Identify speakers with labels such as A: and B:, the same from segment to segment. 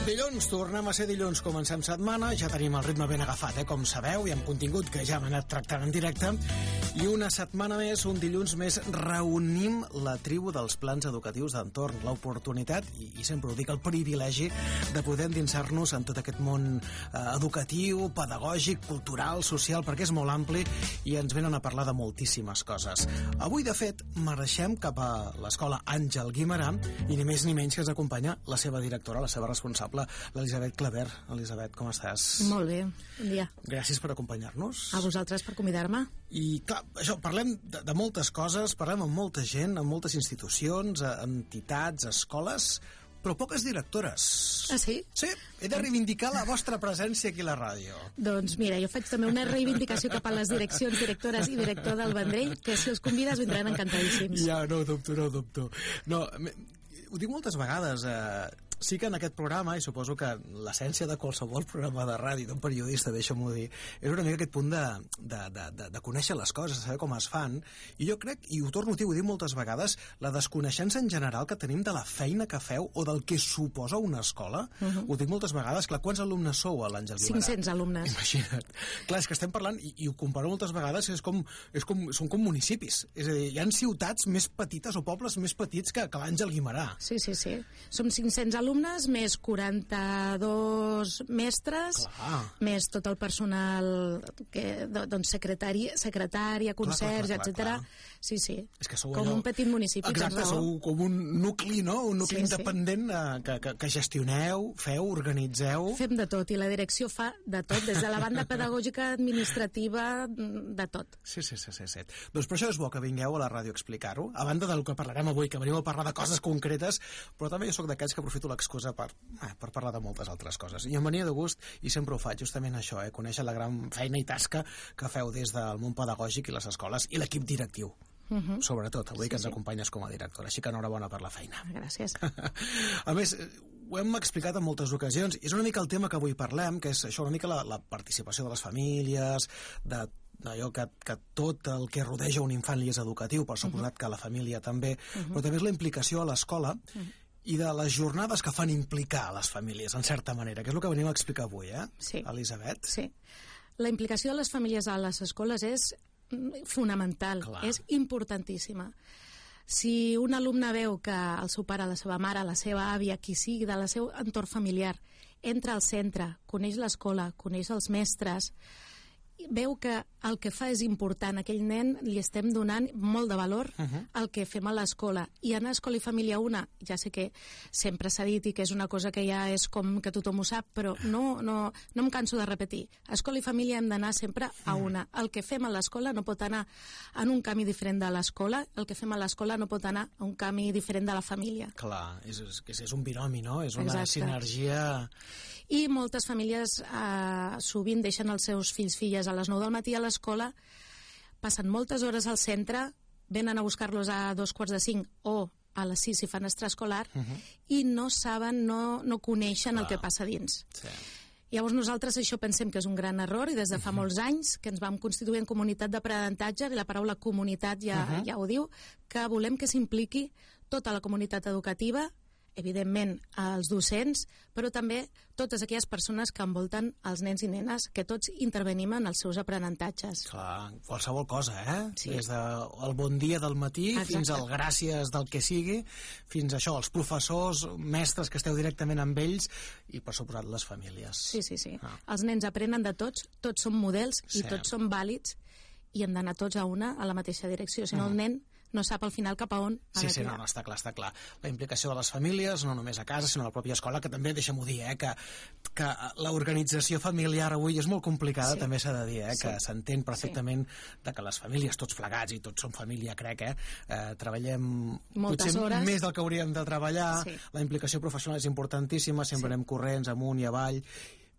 A: Dilluns, tornem a ser dilluns, comencem setmana, ja tenim el ritme ben agafat, com sabeu, i amb contingut que ja hem anat tractant en directe, i una setmana més, un dilluns més, reunim la tribu dels plans educatius d'entorn, l'oportunitat, i sempre ho dic, el privilegi de poder endinsar-nos en tot aquest món educatiu, pedagògic, cultural, social, perquè és molt ampli i ens venen a parlar de moltíssimes coses. Avui, de fet, marxem cap a l'escola Àngel Guimerà i ni més ni menys que ens acompanya la seva directora, la seva responsable, l'Elisabet Claver. Elisabet, com estàs?
B: Molt bé, bon dia.
A: Gràcies per acompanyar-nos.
B: A vosaltres per convidar-me.
A: I clar, això, parlem de moltes coses, parlem amb molta gent, amb moltes institucions, entitats, escoles, però poques directores.
B: Ah, sí?
A: Sí, he de reivindicar la vostra presència aquí a la ràdio.
B: Doncs mira, jo faig també una reivindicació cap a les direccions, directores i director del Vendrell, que si els convides vindran encantadíssims.
A: Ja, no ho dubto, no ho dubto. No, ho dic moltes vegades, sí que en aquest programa, i suposo que l'essència de qualsevol programa de ràdio, d'un periodista, deixa'm-ho dir, és una mica aquest punt de conèixer les coses, de saber com es fan, i jo crec, i ho torno a dir, ho dic moltes vegades, la desconeixença en general que tenim de la feina que feu o del que suposa una escola, ho dic moltes vegades, clar, quants alumnes sou a l'Àngel Guimerà?
B: 500 alumnes.
A: Imagina't. Clar, és que estem parlant, i ho comparo moltes vegades, són com municipis, és a dir, hi ha ciutats més petites o pobles més petits que l'Àngel Guimerà.
B: Sí. Som 500 alumnes, més 42 mestres, més tot el personal doncs secretària, concerts, etc. Sí. És que sou com un petit municipi.
A: Exacte, sou com un nucli, no? Un nucli independent que gestioneu, feu, organitzeu.
B: Fem de tot, i la direcció fa de tot, des de la banda pedagògica, administrativa, de tot.
A: Sí. Doncs per això és bo que vingueu a la ràdio a explicar-ho, a banda del que parlarem avui, que venim a parlar de coses concretes, però també jo soc d'aquells que aprofito l'excusa per parlar de moltes altres coses. I em venia de gust, i sempre ho faig, justament això, conèixer la gran feina i tasca que feu des del món pedagògic i les escoles, i l'equip directiu. Sobretot, avui que ens acompanyes com a directora, així que enhorabona per la feina.
B: Gràcies.
A: A més, ho hem explicat en moltes ocasions, i és una mica el tema que avui parlem, que és això, una mica la participació de les famílies, d'allò que tot el que rodeja un infant li és educatiu, per suposat que la família també, però també és la implicació a l'escola i de les jornades que fan implicar a les famílies, en certa manera, que és el que venim a explicar avui,
B: Sí.
A: Elisabet?
B: Sí. La implicació de les famílies a les escoles és fonamental, és importantíssima. Si un alumne veu que el seu pare, la seva mare, la seva àvia, qui sigui del seu entorn familiar, entra al centre, coneix l'escola, coneix els mestres, veu que el que fa és important, aquell nen li estem donant molt de valor al que fem a l'escola, i anar a escola i família una, ja sé que sempre s'ha dit i que és una cosa que ja és com que tothom ho sap, però no em canso de repetir, a escola i família hem d'anar sempre a una. El que fem a l'escola no pot anar en un camí diferent de l'escola, el que fem a l'escola no pot anar a un camí diferent de la família.
A: Clar, és un binomi, no? És una sinergia.
B: I moltes famílies sovint deixen els seus filles a les 9 del matí a l'escola, passen moltes hores al centre, venen a buscar-los a 2:45 o a les 6 si fan extraescolar, i no saben, no coneixen el que passa dins. Sí. Llavors nosaltres això pensem que és un gran error, i des de fa molts anys que ens vam constituir en comunitat d'aprenentatge, i la paraula comunitat ja ho diu, que volem que s'impliqui tota la comunitat educativa, evidentment els docents, però també totes aquelles persones que envolten els nens i nenes, que tots intervenim en els seus aprenentatges.
A: Clar, qualsevol cosa,
B: Sí.
A: Des del bon dia del matí fins al gràcies del que sigui, fins a això, els professors, mestres que esteu directament amb ells, i per suposat les famílies.
B: Sí. Els nens aprenen de tots són models i tots són vàlids, i hem d'anar tots a la mateixa direcció, si no el nen no sap al final cap a on ha de tirar.
A: No, està clar. La implicació de les famílies, no només a casa, sinó a la pròpia escola, que també, deixa'm-ho dir, que l'organització familiar avui és molt complicada, també s'ha de dir, que s'entén perfectament de que les famílies, tots plegats, i tots som família, crec, treballem
B: moltes hores,
A: més del que hauríem de treballar, la implicació professional és importantíssima, sempre anem corrents amunt i avall,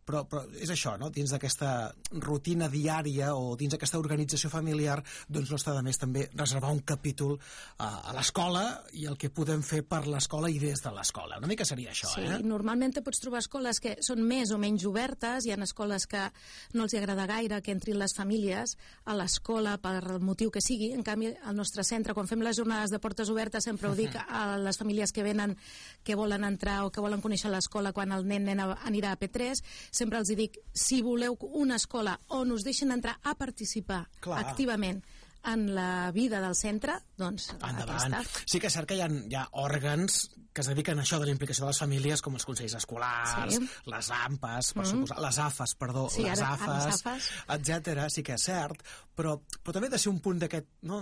A: però és això, no? Dins d'aquesta rutina diària o dins d'aquesta organització familiar, doncs no està de més també reservar un capítol a l'escola i el que podem fer per l'escola i des de l'escola. Una mica seria això,
B: Sí, normalment pots trobar escoles que són més o menys obertes, hi ha escoles que no els agrada gaire que entrin les famílies a l'escola per el motiu que sigui. En canvi, al nostre centre, quan fem les jornades de portes obertes, sempre ho dic a les famílies que venen, que volen entrar o que volen conèixer l'escola quan el nen anirà a P3, sempre els dic, si voleu una escola on us deixen entrar a participar activament en la vida del centre, doncs
A: endavant.
B: aquesta.
A: Sí que és cert que hi ha òrgans que es dediquen a això de la implicació de les famílies, com els consells escolars, les AMPAs, per suposar, les AFAs, les AFAs, etc. Sí que és cert, però també ha de ser un punt d'aquest, no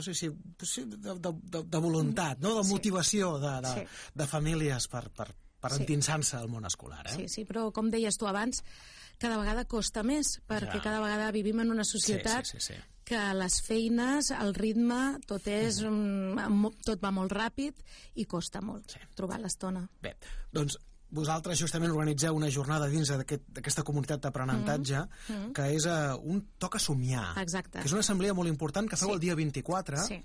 A: sé si de voluntat, no? De motivació de famílies per endinsar-se al món escolar.
B: Sí, però com deies tu abans, cada vegada costa més, perquè cada vegada vivim en una societat que les feines, el ritme, tot va molt ràpid i costa molt trobar l'estona.
A: Bé, doncs vosaltres justament organitzeu una jornada dins d'aquesta comunitat d'aprenentatge que és un toc a somiar.
B: Exacte.
A: Que és una assemblea molt important que feu el dia 24. Sí.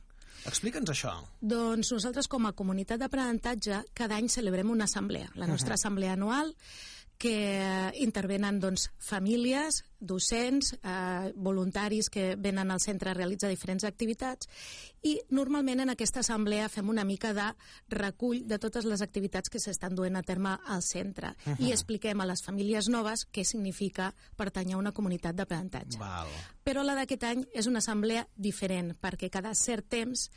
A: Explica'ns això.
B: Doncs nosaltres, com a comunitat d'aprenentatge, cada any celebrem una assemblea, la nostra assemblea anual, que intervenen famílies, docents, voluntaris que venen al centre a realitzar diferents activitats, i normalment en aquesta assemblea fem una mica de recull de totes les activitats que s'estan duent a terme al centre i expliquem a les famílies noves què significa pertànyer a una comunitat d'aprenentatge. Però la d'aquest any és una assemblea diferent, perquè cada cert temps,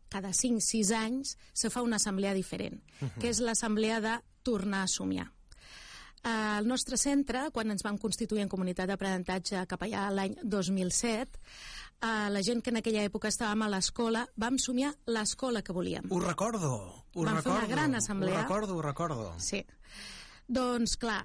B: cada 5-6 anys, se fa una assemblea diferent, que és l'assemblea de tornar a somiar. Al nostre centre, quan ens vam constituir en comunitat d'aprenentatge cap allà l'any 2007, la gent que en aquella època estàvem a l'escola vam somiar l'escola que volíem.
A: Ho recordo.
B: Vam fer una gran assemblea.
A: Ho recordo.
B: Sí. Doncs, clar,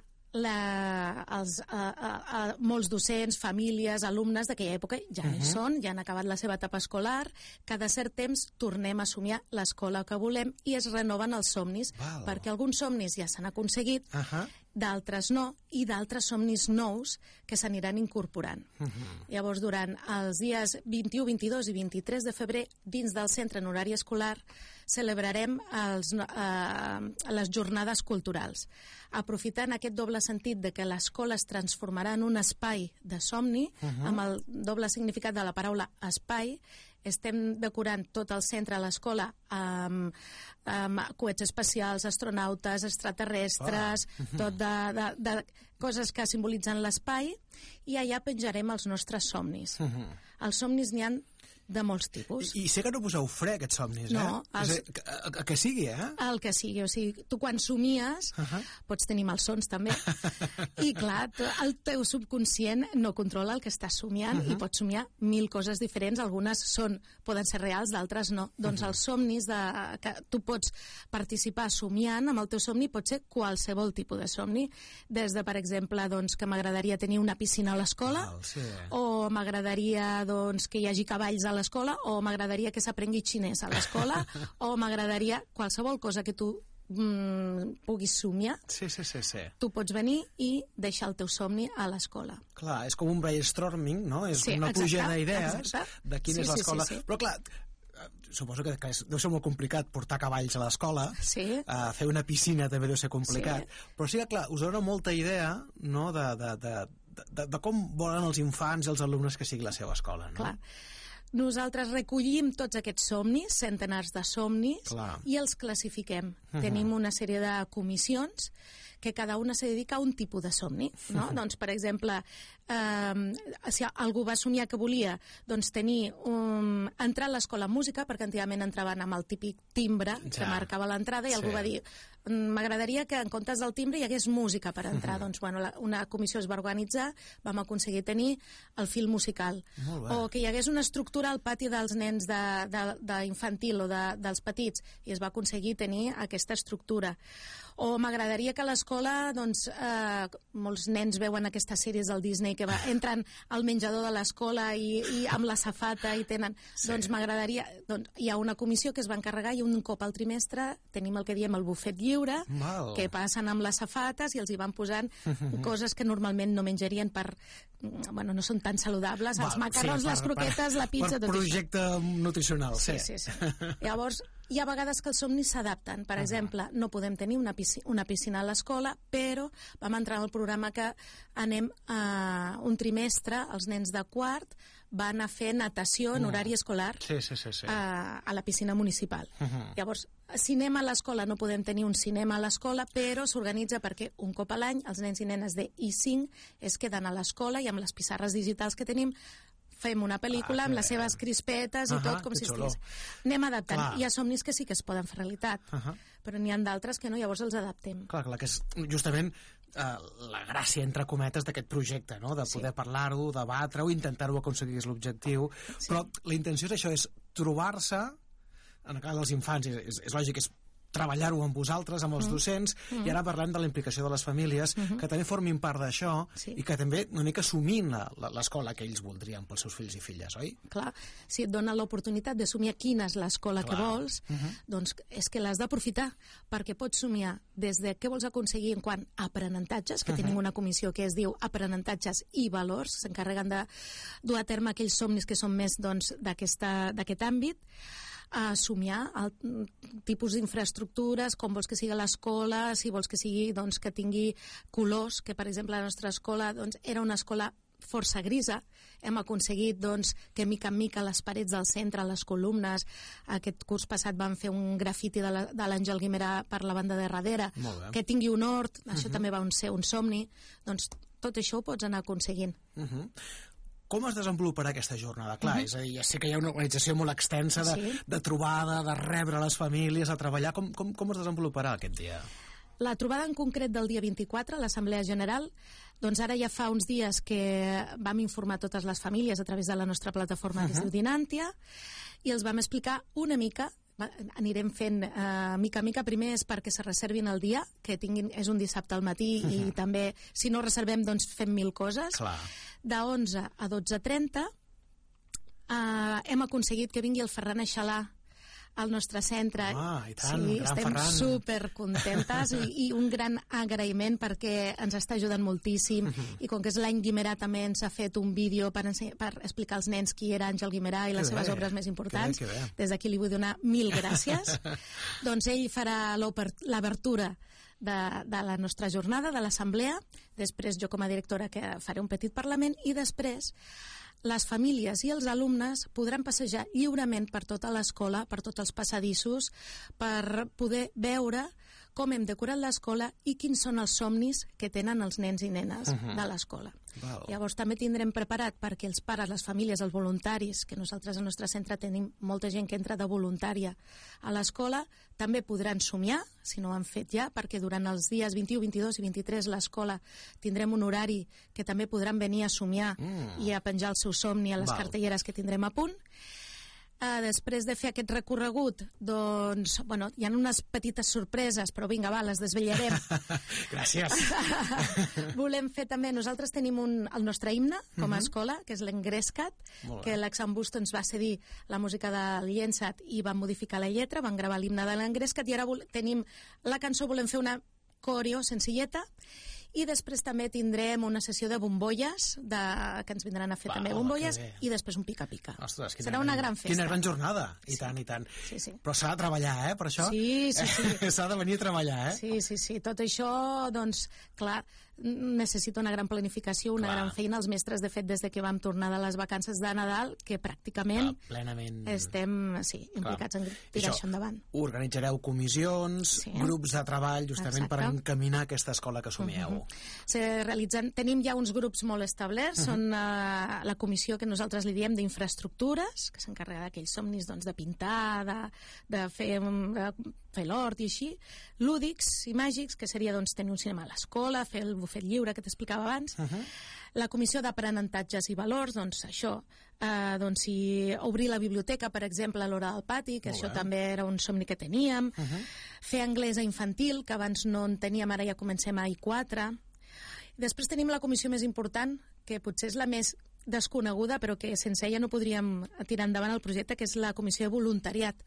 B: molts docents, famílies, alumnes d'aquella època ja hi són, ja han acabat la seva etapa escolar, cada cert temps tornem a somiar l'escola que volem i es renoven els somnis, perquè alguns somnis ja s'han aconseguit, d'altres no, i d'altres somnis nous que s'aniran incorporant. Llavors, durant els dies 21, 22 i 23 de febrer, dins del centre en horari escolar, celebrarem les jornades culturals. Aprofitant aquest doble sentit de que l'escola es transformarà en un espai de somni, amb el doble significat de la paraula espai, estem decorant tot el centre a l'escola amb coets espacials, astronautes, extraterrestres, tot de coses que simbolitzen l'espai, i allà penjarem els nostres somnis. Els somnis n'hi han de molts tipus.
A: I sé que no poseu fre, aquests somnis,
B: no,
A: el que sigui,
B: El que sigui, o sigui, tu quan somies pots tenir malsons també, i clar, el teu subconscient no controla el que estàs somiant i pots somiar 1000 coses diferents, algunes poden ser reals, d'altres no. Doncs els somnis que tu pots participar somiant, amb el teu somni pot ser qualsevol tipus de somni, des de, per exemple, que m'agradaria tenir una piscina a l'escola, o m'agradaria que hi hagi cavalls a l'escola, o m'agradaria que s'aprengui xinès a l'escola, o m'agradaria qualsevol cosa que tu puguis somiar. Tu pots venir i deixar el teu somni a l'escola.
A: Clar, és com un brainstorming, no? És una pluja d'idees de quina és l'escola. Però clar, suposo que deu ser molt complicat portar cavalls a l'escola, fer una piscina també deu ser complicat, però sí que, clar, us dona molta idea, no?, de com volen els infants i els alumnes que sigui la seva escola, no?
B: Clar. Nosaltres recollim tots aquests somnis, centenars de somnis, i els classifiquem. Tenim una sèrie de comissions que cada una se dedica a un tipus de somni, no? Doncs, per exemple, si algú va somiar que volia entrar a l'escola amb música, perquè antigament entraven amb el típic timbre que marcava l'entrada, i algú va dir, m'agradaria que en comptes del timbre hi hagués música per entrar. Doncs, bueno, una comissió es va organitzar, vam aconseguir tenir el fil musical. O que hi hagués una estructura al pati dels nens d'infantil o dels petits, i es va aconseguir tenir aquesta estructura. O m'agradaria que a l'escola, doncs, molts nens veuen aquestes sèries del Disney que entren al menjador de l'escola i amb la safata i tenen... Sí. Doncs m'agradaria... Doncs, hi ha una comissió que es va encarregar i un cop al trimestre tenim el que diem el bufet lliure, que passen amb les safates i els hi van posant coses que normalment no menjarien per... Bueno, no són tan saludables, els macarrons, les croquetes, la pizza...
A: Per projecte nutricional, sí.
B: Llavors, hi ha vegades que els somnis s'adapten. Per exemple, no podem tenir una piscina a l'escola, però vam entrar en el programa que anem un trimestre, els nens de quart van a fer natació en horari escolar a la piscina municipal. Llavors, cinema a l'escola, no podem tenir un cinema a l'escola, però s'organitza perquè un cop a l'any els nens i nenes de I5 es queden a l'escola i amb les pissarres digitals que tenim fem una pel·lícula amb les seves crispetes i tot com si estigués. Anem adaptant. Hi ha somnis que sí que es poden fer realitat, però n'hi ha d'altres que no, llavors els adaptem.
A: Clar, que és justament la gràcia, entre cometes, d'aquest projecte, no? De poder parlar-ho, debatre-ho, intentar-ho aconseguir és l'objectiu, però la intenció és això, és trobar-se, en el cas dels infants, és lògic, és treballar-ho amb vosaltres, amb els docents, i ara parlem de la implicació de les famílies, que també formin part d'això, i que també una mica assumin l'escola que ells voldrien pels seus fills i filles, oi?
B: Clar, si et dona l'oportunitat de somiar quina és l'escola que vols, doncs és que l'has d'aprofitar, perquè pots somiar des de què vols aconseguir en quant a aprenentatges, que tenim una comissió que es diu aprenentatges i valors, s'encarreguen de dur a terme aquells somnis que són més d'aquest àmbit, a somiar el tipus d'infraestructures, com vols que sigui l'escola, si vols que sigui que tingui colors, que per exemple la nostra escola era una escola força grisa, hem aconseguit que mica en mica les parets del centre, les columnes, aquest curs passat vam fer un grafiti de l'Àngel Guimerà per la banda de darrere, que tingui un hort, això també va ser un somni, doncs tot això ho pots anar aconseguint.
A: Com es desenvoluparà aquesta jornada? Clar, és a dir, ja sé que hi ha una organització molt extensa de trobada, de rebre les famílies, de treballar. Com es desenvoluparà aquest dia?
B: La trobada en concret del dia 24, l'Assemblea General, doncs ara ja fa uns dies que vam informar totes les famílies a través de la nostra plataforma que es diu Dinàntia, i els vam explicar una mica, anirem fent mica a mica, primer és perquè se reservin el dia, que és un dissabte al matí i també, si no reservem, doncs fem 1000 coses. De 11 a 12:30 hem aconseguit que vingui el Ferran Aixalà al nostre centre.
A: I tant,
B: estem supercontentes i un gran agraïment perquè ens està ajudant moltíssim i com que és l'any Guimerà també ens ha fet un vídeo per explicar als nens qui era Àngel Guimerà i les seves obres més importants. Des d'aquí li vull donar 1000 gràcies. Doncs ell farà l'obertura de la nostra jornada, de l'assemblea, després jo com a directora que faré un petit parlament i després les famílies i els alumnes podran passejar lliurement per tota l'escola, per tots els passadissos, per poder veure com hem decorat l'escola i quins són els somnis que tenen els nens i nenes de l'escola. Llavors també tindrem preparat perquè els pares, les famílies, els voluntaris, que nosaltres al nostre centre tenim molta gent que entra de voluntària a l'escola, també podran somiar, si no ho han fet ja, perquè durant els dies 21, 22 i 23 l'escola tindrem un horari que també podran venir a somiar i a penjar el seu somni a les cartelleres que tindrem a punt. Després de fer aquest recorregut, doncs, bueno, hi ha unes petites sorpreses, però vinga, va, les desvetllarem.
A: Gràcies.
B: Volem fer també, nosaltres tenim el nostre himne com a escola, que és l'Engrescat, que l'Exambust ens va cedir la música del Llensat i van modificar la lletra, van gravar l'himne de l'Engrescat i ara tenim la cançó, volem fer una coreo senzilleta. I després també tindrem una sessió de bombolles, que ens vindran a fer també bombolles, i després un pica-pica.
A: Ostres,
B: serà una gran festa.
A: Quina gran jornada, i tant, i tant. Però s'ha de treballar, per això?
B: Sí.
A: S'ha de venir a treballar,
B: Sí. Tot això, doncs, clar, necessita una gran planificació, una gran feina. Els mestres, de fet, des de que vam tornar de les vacances de Nadal, que pràcticament estem implicats en tirar això endavant.
A: Organitzareu comissions, grups de treball, justament per encaminar aquesta escola que somieu.
B: Tenim ja uns grups molt establerts, són la comissió que nosaltres li diem d'infraestructures, que s'encarrega d'aquells somnis de pintar, de fer l'hort i així, lúdics i màgics, que seria tenir un cinema a l'escola, fer el bufet lliure que t'explicava abans. La comissió d'aprenentatges i valors, doncs això, obrir la biblioteca, per exemple, a l'hora del pati, que això també era un somni que teníem, fer anglès a infantil, que abans no en teníem, ara ja comencem a I4. Després tenim la comissió més important, que potser és la més desconeguda, però que sense ella no podríem tirar endavant el projecte, que és la comissió de voluntariat,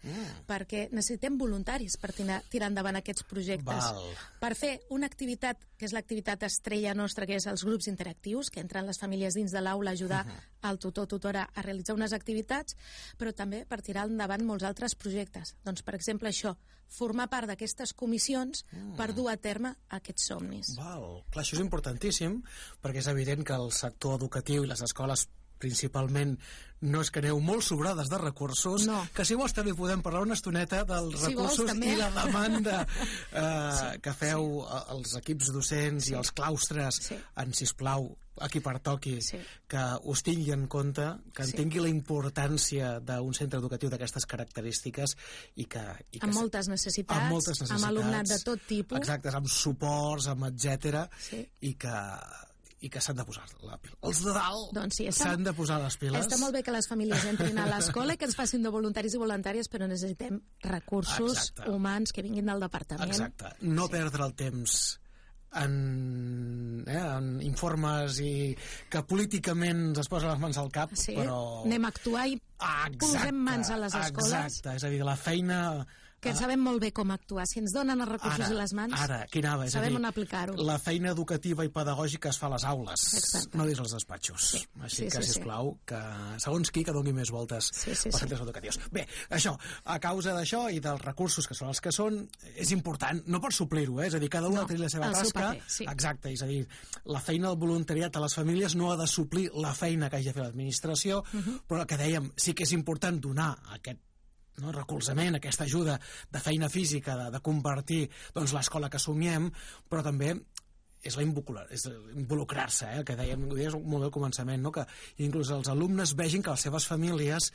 B: perquè necessitem voluntaris per tirar endavant aquests projectes. Per fer una activitat, que és l'activitat estrella nostra, que és els grups interactius, que entren les famílies dins de l'aula a ajudar al tutor o tutora a realitzar unes activitats, però també per tirar endavant molts altres projectes. Doncs, per exemple, això, formar part d'aquestes comissions per dur a terme aquests somnis.
A: Clar, això és importantíssim, perquè és evident que el sector educatiu i les escoles principalment no és que aneu molt sobrades de recursos, que si vols també podem parlar una estoneta dels recursos i la demanda que feu els equips docents i els claustres en, sisplau, a qui pertoqui, que us tingui en compte, que entengui la importància d'un centre educatiu d'aquestes característiques i que...
B: Amb moltes necessitats, amb alumnat de tot tipus.
A: Exacte, amb suports, amb etcètera, i que s'han de posar els de dalt s'han de posar les piles.
B: Està molt bé que les famílies entrin a l'escola i que ens facin de voluntaris i voluntàries, però necessitem recursos humans que vinguin del departament.
A: Exacte, no perdre el temps en informes i que políticament es posen les mans al cap, però...
B: Anem a actuar i posem mans a les escoles.
A: Exacte, és a dir, la feina...
B: Que sabem molt bé com actuar. Si ens donen els recursos i les mans, sabem on aplicar-ho.
A: La feina educativa i pedagògica es fa a les aules, no dins els despatxos. Així que, sisplau, que segons qui que doni més voltes als centres educatius. Bé, això, a causa d'això i dels recursos que són els que són, és important, no pots suplir-ho, és a dir, cada una té la seva tasca. Exacte, és a dir, la feina del voluntariat a les famílies no ha de suplir la feina que hagi de fer l'administració, però el que dèiem, sí que és important donar aquest recolzament, aquesta ajuda de feina física, de convertir l'escola que somiem, però també és involucrar-se, que dèiem molt bé al començament, que inclús els alumnes vegin que les seves famílies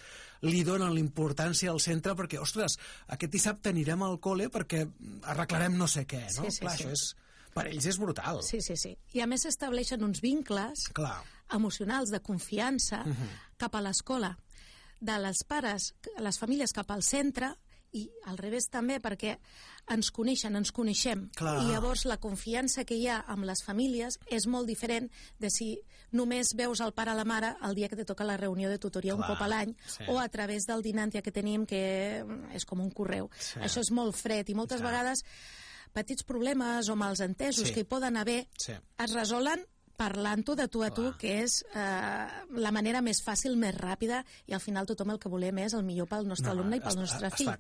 A: li donen l'importància al centre perquè, ostres, aquest dissabte anirem al col·le perquè arreglarem no sé què, no? Clar, això és... Per ells és brutal.
B: Sí. I a més s'estableixen uns vincles emocionals de confiança cap a l'escola, de les pares, les famílies cap al centre, i al revés també, perquè ens coneixen, ens coneixem. I llavors la confiança que hi ha amb les famílies és molt diferent de si només veus el pare o la mare el dia que te toca la reunió de tutoria un cop a l'any, o a través del Dinantia que tenim, que és com un correu. Això és molt fred, i moltes vegades petits problemes o malentesos que hi poden haver es resolen parlant-ho de tu a tu, que és la manera més fàcil, més ràpida, i al final tothom el que volem és el millor pel nostre alumne i pel nostre fill.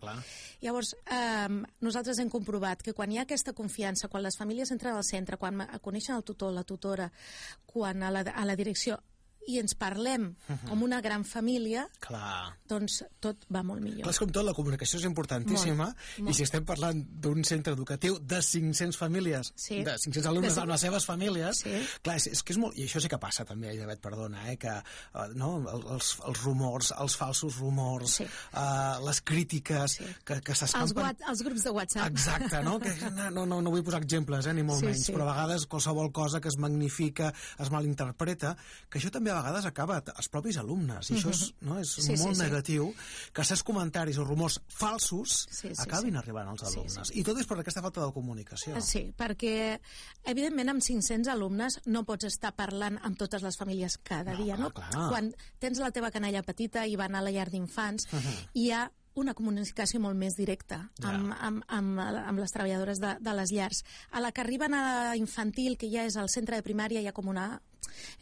B: Llavors, nosaltres hem comprovat que quan hi ha aquesta confiança, quan les famílies entren al centre, quan coneixen el tutor, la tutora, quan a la direcció, i ens parlem com una gran família, doncs tot va molt millor.
A: Clar, és com tot, la comunicació és importantíssima, i si estem parlant d'un centre educatiu de 500 famílies, de 500 alumnes amb les seves famílies, clar, és que és molt... I això sí que passa també, Elisabet, perdona, que els rumors, els falsos rumors, les crítiques que s'escampen...
B: Els grups de WhatsApp.
A: Exacte, no? No vull posar exemples, ni molt menys, però a vegades qualsevol cosa que es magnifica, es malinterpreta, que això també a vegades acaba als propis alumnes, i això és molt negatiu, que certs comentaris o rumors falsos acabin arribant als alumnes. I tot és per aquesta falta de comunicació.
B: Sí, perquè evidentment amb 500 alumnes no pots estar parlant amb totes les famílies cada dia, no? Quan tens la teva canalla petita i van a la llar d'infants, hi ha una comunicació molt més directa amb les treballadores de les llars. A la que arriben a infantil, que ja és al centre de primària, hi ha com una...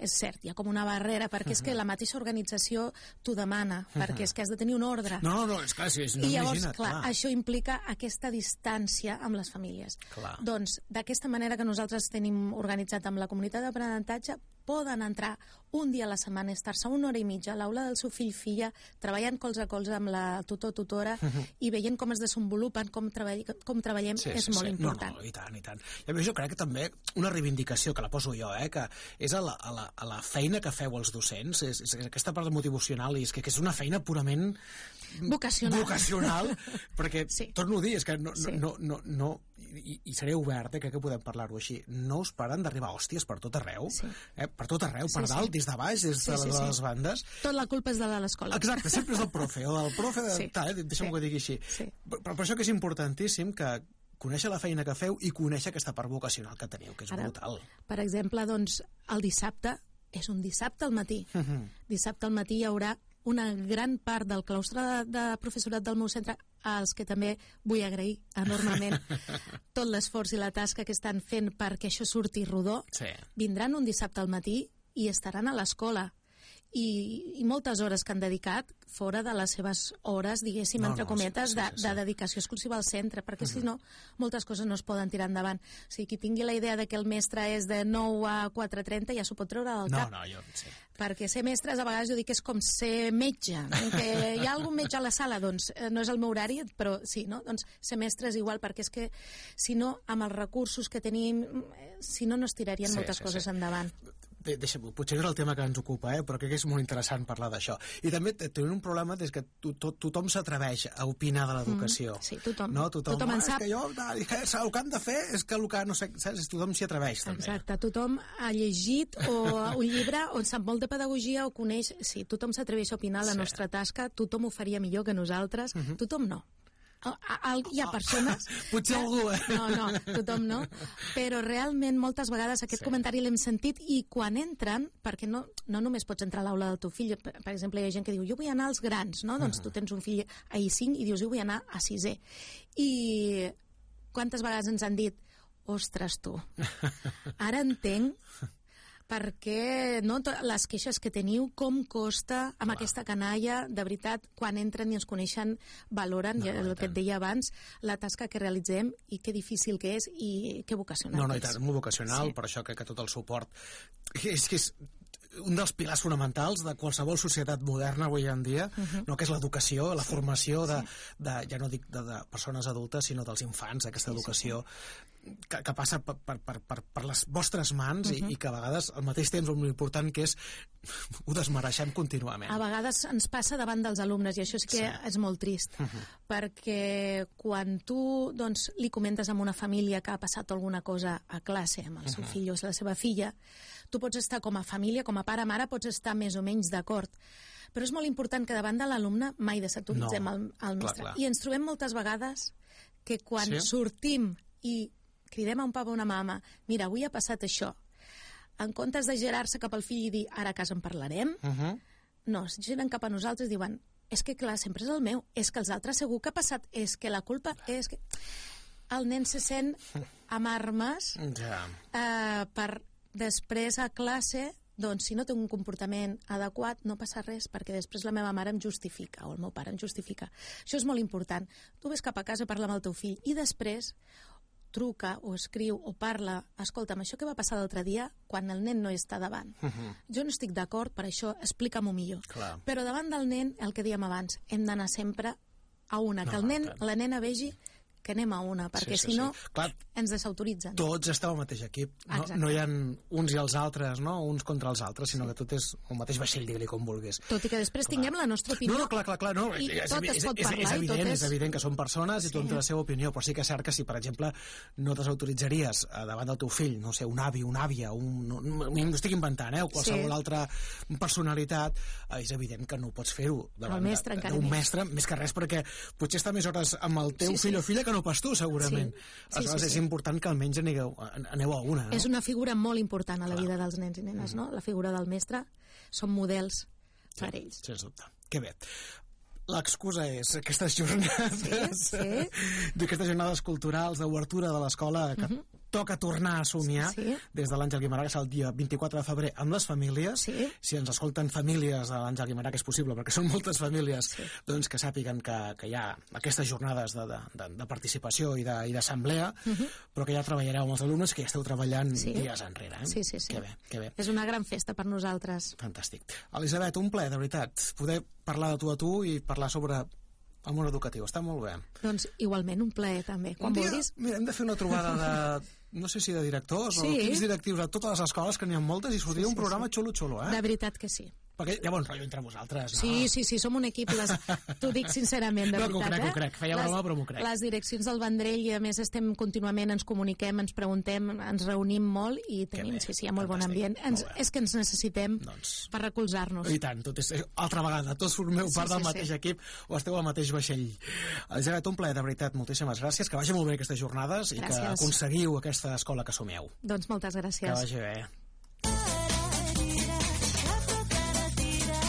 B: És cert, hi ha com una barrera, perquè és que la mateixa organització t'ho demana, perquè és que has de tenir un ordre.
A: No, és clar, sí,
B: I llavors, clar, això implica aquesta distància amb les famílies. Doncs, d'aquesta manera que nosaltres tenim organitzat amb la comunitat d'aprenentatge, poden entrar un dia a la setmana, estar-se una hora i mitja a l'aula del seu fill-filla, treballant colze a colze amb la tutor-tutora i veient com es desenvolupen, com treballem, és molt important.
A: No, i tant. I a més, jo crec que també una reivindicació, que la poso jo, que és a la feina que feu els docents, és aquesta part motivacional, i és que és una feina purament
B: vocacional,
A: perquè, torno a dir, és que no, i seré obert, crec que podem parlar-ho així, no us paren d'arribar hòsties per tot arreu, per tot arreu, per dalt, des de baix, des de les bandes.
B: Tot la culpa és de l'escola.
A: Exacte, sempre és del profe, o del profe, deixa'm que ho digui així. Per això que és importantíssim que conèixer la feina que feu i conèixer aquesta part vocacional que teniu, que és brutal.
B: Per exemple, doncs, el dissabte, és un dissabte al matí. Dissabte al matí hi haurà una gran part del claustre de professorat del meu centre, als que també vull agrair enormement tot l'esforç i la tasca que estan fent perquè això surti rodó, vindran un dissabte al matí i estaran a l'escola. I moltes hores que han dedicat fora de les seves hores, diguéssim, entre cometes, de dedicació exclusiva al centre, perquè si no, moltes coses no es poden tirar endavant. O sigui, qui tingui la idea de que el mestre és de 9 a 4:30 ja s'ho pot treure del cap.
A: No, jo no sé.
B: Perquè ser mestre, a vegades jo dic que és com ser metge, que hi ha algun metge a la sala, doncs no és el meu horari, però sí, no? Doncs ser mestre és igual, perquè és que si no, amb els recursos que tenim, si no, no es tirarien moltes coses endavant.
A: Deixa'm, potser no és el tema que ens ocupa, però crec que és molt interessant parlar d'això. I també tenim un problema des que tothom s'atreveix a opinar de l'educació.
B: Sí, tothom.
A: No? Tothom
B: en sap.
A: És que jo, el que han de fer és que el que, no sé, saps? Tothom s'hi atreveix, també.
B: Exacte, tothom ha llegit un llibre on sap molt de pedagogia o coneix... Sí, tothom s'atreveix a opinar la nostra tasca, tothom ho faria millor que nosaltres, tothom no. Hi ha persones...
A: Potser algú,
B: No, tothom no. Però realment moltes vegades aquest comentari l'hem sentit i quan entren, perquè no només pots entrar a l'aula del teu fill, per exemple, hi ha gent que diu jo vull anar als grans, no? Doncs tu tens un fill a I5 i dius jo vull anar a 6è. I quantes vegades ens han dit ostres tu, ara entenc perquè les queixes que teniu, com costa amb aquesta canalla, de veritat, quan entren i ens coneixen, valoren, el que et deia abans, la tasca que realitzem i que difícil que és i que vocacional
A: és. I tant, molt vocacional, per això crec que tot el suport és que és un dels pilars fonamentals de qualsevol societat moderna avui en dia, que és l'educació, la formació ja no dic de persones adultes, sinó dels infants, aquesta educació que passa per les vostres mans i que a vegades al mateix temps l'important que és ho desmereixem contínuament.
B: A vegades ens passa davant dels alumnes i això sí que és molt trist, perquè quan tu li comentes a una família que ha passat alguna cosa a classe amb el seu fill o la seva filla, tu pots estar com a família, com a pare-mare, pots estar més o menys d'acord. Però és molt important que davant de l'alumne mai desautoritzem el mestre. I ens trobem moltes vegades que quan sortim i cridem a un papa o una mama, mira, avui ha passat això, en comptes de girar-se cap al fill i dir, ara a casa en parlarem, no, es giren cap a nosaltres i diuen, és que clar, sempre és el meu, és que els altres segur que ha passat, és que la culpa és que... El nen se sent amb armes per després a classe, doncs si no té un comportament adequat no passa res, perquè després la meva mare em justifica o el meu pare em justifica. Això és molt important. Tu ves cap a casa, parla amb el teu fill i després truca o escriu o parla, escolta'm, això que va passar l'altre dia, quan el nen no està davant. Jo no estic d'acord, per això explica-m'ho millor. Però davant del nen, el que dèiem abans, hem d'anar sempre a una, que el nen, la nena vegi que anem a una, perquè si no ens desautoritzen.
A: Tots esteu al mateix equip, no hi ha uns i els altres, uns contra els altres, sinó que tot és el mateix vaixell, digue-li com vulguis.
B: Tot i que després tinguem la nostra opinió.
A: No, clar, i tot es pot parlar. És evident que són persones i tothom té la seva opinió, però sí que és cert que si, per exemple, no desautoritzaries davant del teu fill, no sé, un avi, una àvia, m'ho estic inventant, o qualsevol altra personalitat, és evident que no pots fer-ho davant d'un mestre, més que res, perquè potser està més hores amb el teu fill o filla que no pas tu, segurament. Aleshores, és important que almenys aneu a una.
B: És una figura molt important a la vida dels nens i nenes, no? La figura del mestre són models per ells.
A: Sens dubte. Que bé. L'excusa és aquestes jornades d'aquestes jornades culturals d'obertura de l'escola que toca tornar a somiar des de l'Àngel Guimerà, que és el dia 24 de febrer amb les famílies. Si ens escolten famílies de l'Àngel Guimerà, que és possible perquè són moltes famílies, doncs que sàpiguen que hi ha aquestes jornades de participació i d'assemblea, però que ja treballareu amb els alumnes, que ja esteu treballant dies enrere.
B: Sí.
A: Que bé.
B: És una gran festa per nosaltres.
A: Fantàstic. Elisabet, un plaer, de veritat, poder parlar de tu a tu i parlar sobre el món educatiu. Està molt bé.
B: Doncs igualment un plaer també. Quan vulguis.
A: Mira, hem de fer una trobada de no sé si de directors o equips directius a totes les escoles, que n'hi ha moltes, i sortiria un programa xulo,
B: De veritat que sí.
A: Perquè hi ha bon rotllo entre vosaltres, no?
B: Sí, som un equip, t'ho dic sincerament, de veritat.
A: No, ho crec, feia broma, però m'ho crec.
B: Les direccions del Vendrell, i a més estem contínuament, ens comuniquem, ens preguntem, ens reunim molt i tenim, sí, hi ha molt bon ambient. És que ens necessitem per recolzar-nos.
A: I tant, altra vegada, tots formeu part del mateix equip o esteu al mateix vaixell. Elisabet, un plaer, de veritat, moltíssimes gràcies, que vagi molt bé aquestes jornades i que aconseguiu aquesta escola que somieu.
B: Doncs moltes gràcies.
A: Que vagi bé.